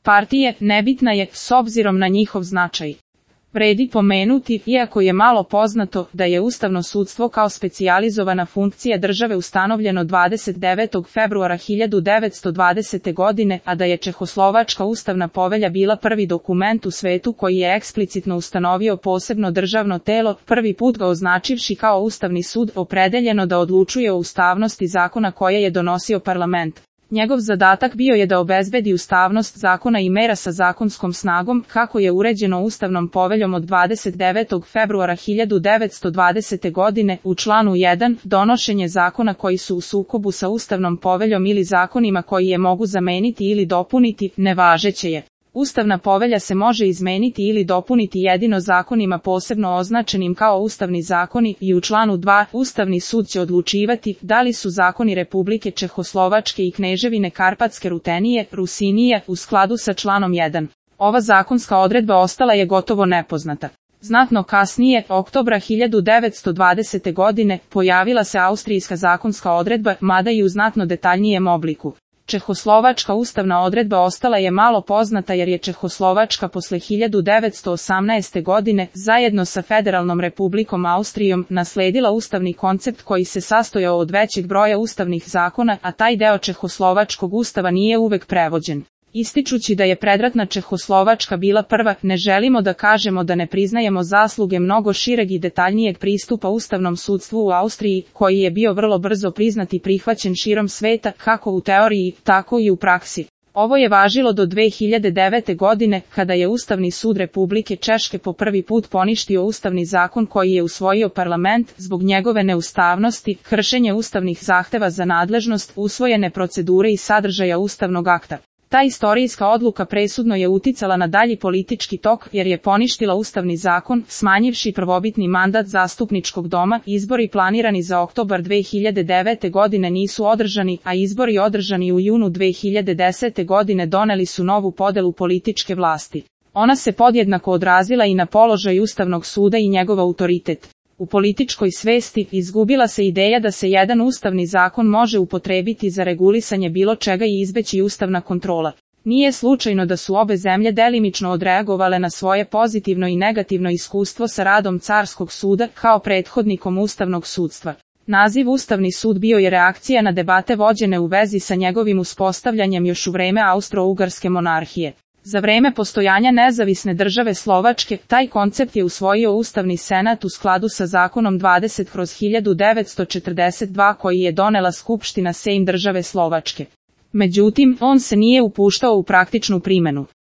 partije, nebitna je s obzirom na njihov značaj. Vredi pomenuti, iako je malo poznato, da je ustavno sudstvo kao specijalizovana funkcija države ustanovljeno 29. februara 1920. godine, a da je Čehoslovačka ustavna povelja bila prvi dokument u svetu koji je eksplicitno ustanovio posebno državno telo, prvi put ga označivši kao Ustavni sud, opredeljeno da odlučuje o ustavnosti zakona koje je donosio parlament. Njegov zadatak bio je da obezbedi ustavnost zakona i mera sa zakonskom snagom, kako je uređeno Ustavnom poveljom od 29. februara 1920. godine, u članu 1, donošenje zakona koji su u sukobu sa Ustavnom poveljom ili zakonima koji je mogu zameniti ili dopuniti, nevažeće je. Ustavna povelja se može izmeniti ili dopuniti jedino zakonima posebno označenim kao ustavni zakoni i u članu 2 Ustavni sud će odlučivati da li su zakoni Republike Čehoslovačke i Kneževine Karpatske Rutenije, Rusinije u skladu sa članom 1. Ova zakonska odredba ostala je gotovo nepoznata. Znatno kasnije, oktobra 1920. godine, pojavila se austrijska zakonska odredba, mada i u znatno detaljnijem obliku. Čehoslovačka ustavna odredba ostala je malo poznata jer je Čehoslovačka posle 1918. godine, zajedno sa Federalnom republikom Austrijom, nasledila ustavni koncept koji se sastojao od većeg broja ustavnih zakona, a taj deo Čehoslovačkog ustava nije uvek prevođen. Ističući da je predratna Čehoslovačka bila prva, ne želimo da kažemo da ne priznajemo zasluge mnogo šireg i detaljnijeg pristupa ustavnom sudstvu u Austriji, koji je bio vrlo brzo priznat i prihvaćen širom sveta, kako u teoriji, tako i u praksi. Ovo je važilo do 2009. godine, kada je Ustavni sud Republike Češke po prvi put poništio ustavni zakon koji je usvojio parlament, zbog njegove neustavnosti, kršenje ustavnih zahteva za nadležnost, usvojene procedure i sadržaja ustavnog akta. Ta istorijska odluka presudno je uticala na dalji politički tok jer je poništila ustavni zakon, smanjivši prvobitni mandat zastupničkog doma. Izbori planirani za oktobar 2009. godine nisu održani, a izbori održani u junu 2010. godine doneli su novu podelu političke vlasti. Ona se podjednako odrazila i na položaj Ustavnog suda i njegov autoritet. U političkoj svesti izgubila se ideja da se jedan ustavni zakon može upotrebiti za regulisanje bilo čega i izbeći ustavna kontrola. Nije slučajno da su obe zemlje delimično odreagovale na svoje pozitivno i negativno iskustvo sa radom Carskog suda kao prethodnikom ustavnog sudstva. Naziv Ustavni sud bio je reakcija na debate vođene u vezi sa njegovim uspostavljanjem još u vreme Austro-Ugarske monarhije. Za vreme postojanja nezavisne države Slovačke, taj koncept je usvojio Ustavni senat u skladu sa zakonom 20/1942 koji je donela Skupština Sejm države Slovačke. Međutim, on se nije upuštao u praktičnu primenu.